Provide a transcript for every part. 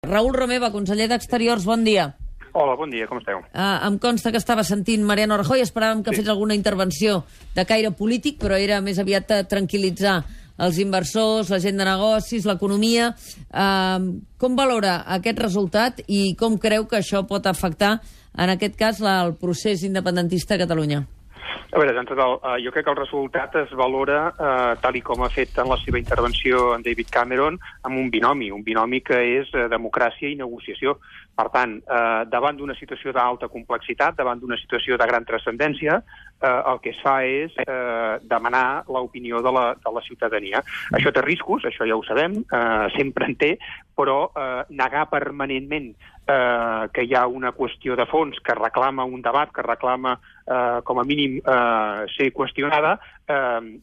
Raül Romeva, conseller d'Exteriors, bon dia. Hola, bon dia, com esteu? Em consta que estava sentint Mariano Rajoy, esperàvem que fes alguna intervenció de caire polític, però era més aviat tranquil·litzar els inversors, la gent de negocis, l'economia. Com valora aquest resultat i com creu que això pot afectar, en aquest cas, el procés independentista a Catalunya? A veure, jo crec que el resultat es valora, tal i com ha fet en la seva intervenció en David Cameron, amb un binomi que és democràcia i negociació. Per tant, davant d'una situació d'alta complexitat, davant d'una situació de gran transcendència, el que es fa és demanar l'opinió de la ciutadania. Això té riscos, això ja ho sabem, sempre en té, però negar permanentment que hi ha una qüestió de fons que reclama un debat, que reclama com a mínim ser qüestionada,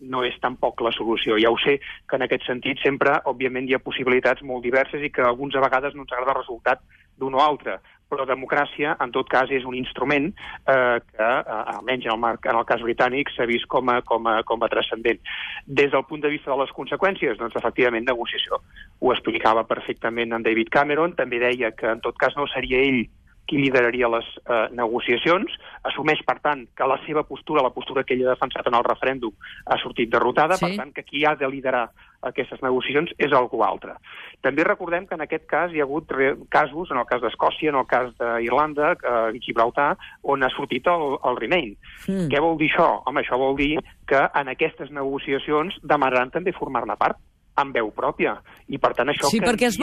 no és tampoc la solució. Ja ho sé que en aquest sentit sempre, òbviament, hi ha possibilitats molt diverses i que alguns a vegades no ens agrada el resultat d'un o altre, però democràcia, en tot cas, és un instrument que, almenys en el cas britànic, s'ha vist com a transcendent. Des del punt de vista de les conseqüències, doncs, efectivament, negociació. Ho explicava perfectament en David Cameron, també deia que, en tot cas, no seria ell qui lideraria les negociacions, assumeix, per tant, que la seva postura, la postura que ell ha defensat en el referèndum, ha sortit derrotada, per tant, que qui ha de liderar aquestes negociacions és algú altre. També recordem que en aquest cas hi ha hagut casos, en el cas d'Escòcia, en el cas d'Irlanda, Gibraltar, on ha sortit el Remain. Què vol dir això? Home, això vol dir que en aquestes negociacions demanaran també formar-ne part, amb veu pròpia. I per tant això... Sí, perquè has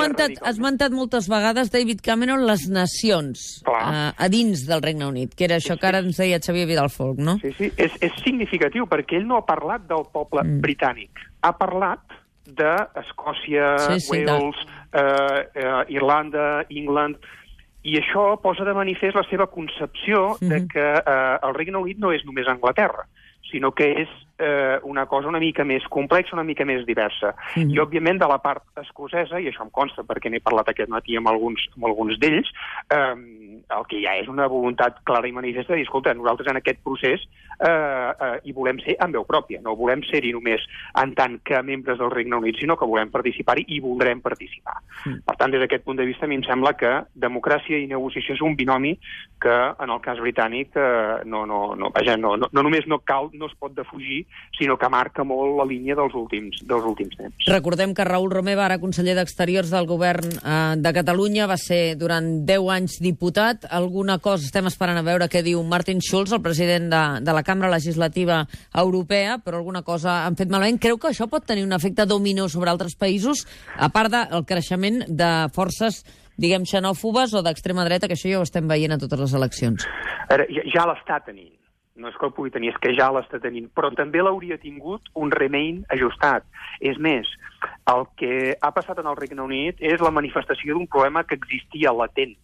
esmentat moltes vegades, David Cameron, les nacions a dins del Regne Unit, que era això que ara ens deia Xavier Vidalfolch, no? Sí, és significatiu, perquè ell no ha parlat del poble britànic, ha parlat d'Escòcia, Wales, Irlanda, England, i això posa de manifest la seva concepció de que el Regne Unit no és només Anglaterra, sinó que és una cosa una mica més complexa, una mica més diversa. I, òbviament, de la part escocesa, i això em consta perquè n'he parlat aquest matí amb alguns d'ells, el que hi ha és una voluntat clara i manifesta de dir, escolta, nosaltres en aquest procés hi volem ser amb veu pròpia, no volem ser-hi només en tant que membres del Regne Unit, sinó que volem participar-hi i voldrem participar. Per tant, des d'aquest punt de vista, a mi em sembla que democràcia i negociació és un binomi que, en el cas britànic, no només no es pot defugir, sinó que marca molt la línia dels últims temps. Recordem que Raül Romeva, ara conseller d'Exteriors del govern de Catalunya, va ser durant 10 anys diputat. Alguna cosa estem esperant a veure què diu Martin Schulz, el president de la Cambra Legislativa Europea, però alguna cosa han fet malament. Creu que això pot tenir un efecte dominó sobre altres països, a part del creixement de forces, diguem, xenòfobes o d'extrema dreta, que això ja ho estem veient a totes les eleccions? Ja l'està tenint. No és que el pugui tenir, és que ja l'està tenint, però també l'hauria tingut un Remain ajustat. És més, el que ha passat en el Regne Unit és la manifestació d'un problema que existia latent,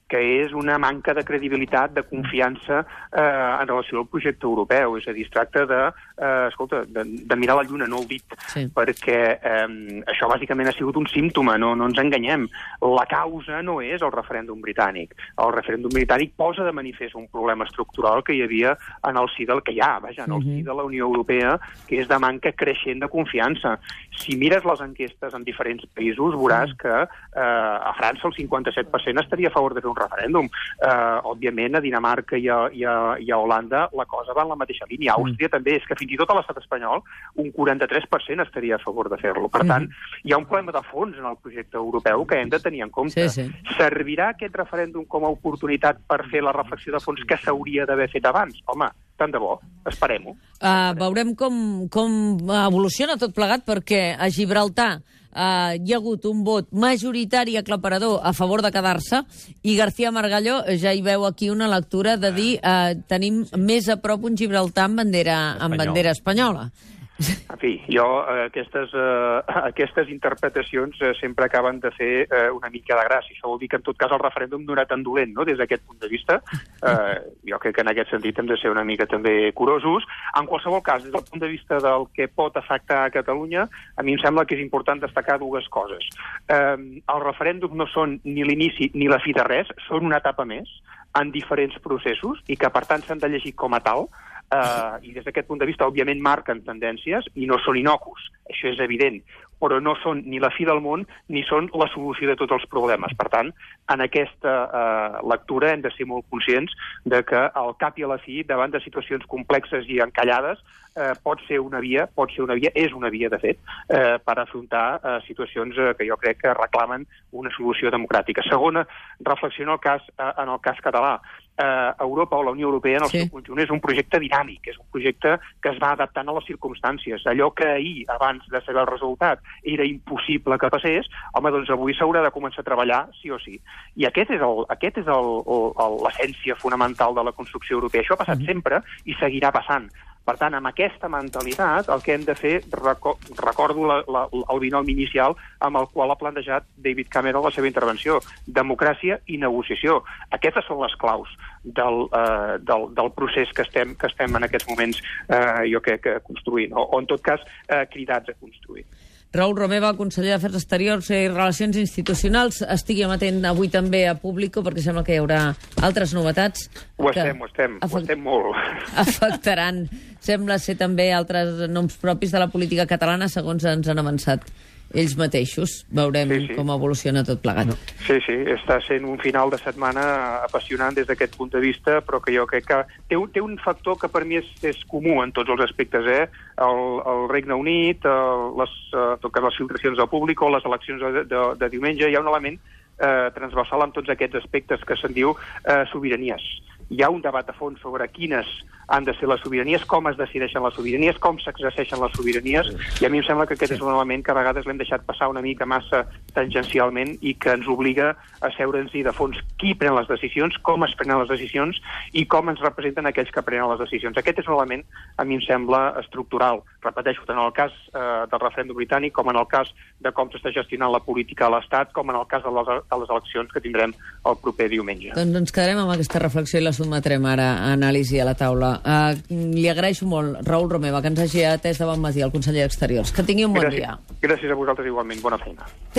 que és una manca de credibilitat, de confiança en relació al projecte europeu. És a dir, es tracta de mirar la lluna, no el dit, perquè això bàsicament ha sigut un símptoma, no ens enganyem. La causa no és el referèndum britànic. El referèndum britànic posa de manifest un problema estructural que hi havia en el si del que hi ha, en el si de la Unió Europea, que és de manca creixent de confiança. Si mires les enquestes en diferents països, veuràs que a França el 57% estaria a favor de fer un referèndum. Òbviament, a Dinamarca i a Holanda la cosa va en la mateixa línia. A Àustria també, és que fins i tot a l'estat espanyol un 43% estaria a favor de fer-lo. Per tant, hi ha un problema de fons en el projecte europeu que hem de tenir en compte. Servirà aquest referèndum com a oportunitat per fer la reflexió de fons que s'hauria d'haver fet abans? Home, tant de bo, esperem-ho. Veurem com evoluciona tot plegat, perquè a Gibraltar hi ha hagut un vot majoritari aclaparador a favor de quedar-se, i García Margallo ja hi veu aquí una lectura de dir tenim més a prop un Gibraltar amb bandera espanyola. En fi, jo aquestes interpretacions sempre acaben de fer una mica de gràcia. Això vol dir que en tot cas el referèndum no era tan dolent, no?, des d'aquest punt de vista. Jo crec que en aquest sentit hem de ser una mica també curosos. En qualsevol cas, des del punt de vista del que pot afectar a Catalunya, a mi em sembla que és important destacar dues coses. Els referèndums no són ni l'inici ni la fi de res, són una etapa més en diferents processos i que per tant s'han de llegir com a tal. I des d'aquest punt de vista, òbviament, marquen tendències i no són innocus. Això és evident. però no són ni la fi del món ni són la solució de tots els problemes. Per tant, en aquesta lectura hem de ser molt conscients de que al cap i a la fi, davant de situacions complexes i encallades, pot ser una via, és una via, de fet, per afrontar situacions que jo crec que reclamen una solució democràtica. Segona reflexió en el cas català. Europa o la Unió Europea en el seu conjunt és un projecte dinàmic, és un projecte que es va adaptant a les circumstàncies. Allò que ahir, abans de saber el resultat, era impossible que passés, home, doncs avui s'haurà de començar a treballar sí o sí. I aquest és l'essència fonamental de la construcció europea. Això ha passat sempre i seguirà passant. Per tant, amb aquesta mentalitat, el que hem de fer, recordo el binomi inicial amb el qual ha plantejat David Cameron la seva intervenció, democràcia i negociació. Aquestes són les claus del procés que estem en aquests moments, jo crec, construint, o en tot cas cridats a construir. Raül Romeva, conseller d'Afers Exteriors i Relacions Institucionals. Estigui amatent avui també a Público, perquè sembla que hi haurà altres novetats. Ho estem molt. Afectaran, sembla ser també altres noms propis de la política catalana, segons ens han avançat ells mateixos. Veurem com evoluciona tot plegat. Sí, està sent un final de setmana apassionant des d'aquest punt de vista, però que jo crec que té un factor que per mi és comú en tots els aspectes, el Regne Unit, les filtracions del públic o les eleccions de diumenge. Hi ha un element transversal en tots aquests aspectes que se'n diu sobiranies. Hi ha un debat a fons sobre quines han de ser les sobiranies, com es decideixen les sobiranies, com s'exerceixen les sobiranies, i a mi em sembla que aquest és un element que a vegades l'hem deixat passar una mica massa tangencialment i que ens obliga a seure'ns-hi de fons qui pren les decisions, com es prenen les decisions i com ens representen aquells que prenen les decisions. Aquest és un element, a mi em sembla, estructural. Repeteixo, tant en el cas del referèndum britànic com en el cas de com s'està gestionant la política a l'Estat, com en el cas de les eleccions que tindrem el proper diumenge. Doncs ens quedarem amb aquesta reflexió i la sotmetrem ara a anàlisi a la taula. Li agraeixo molt, Raül Romeva, que ens hagi atès de bon matí, el conseller d'Exteriors. Que tingui un bon dia. Gràcies a vosaltres igualment. Bona feina.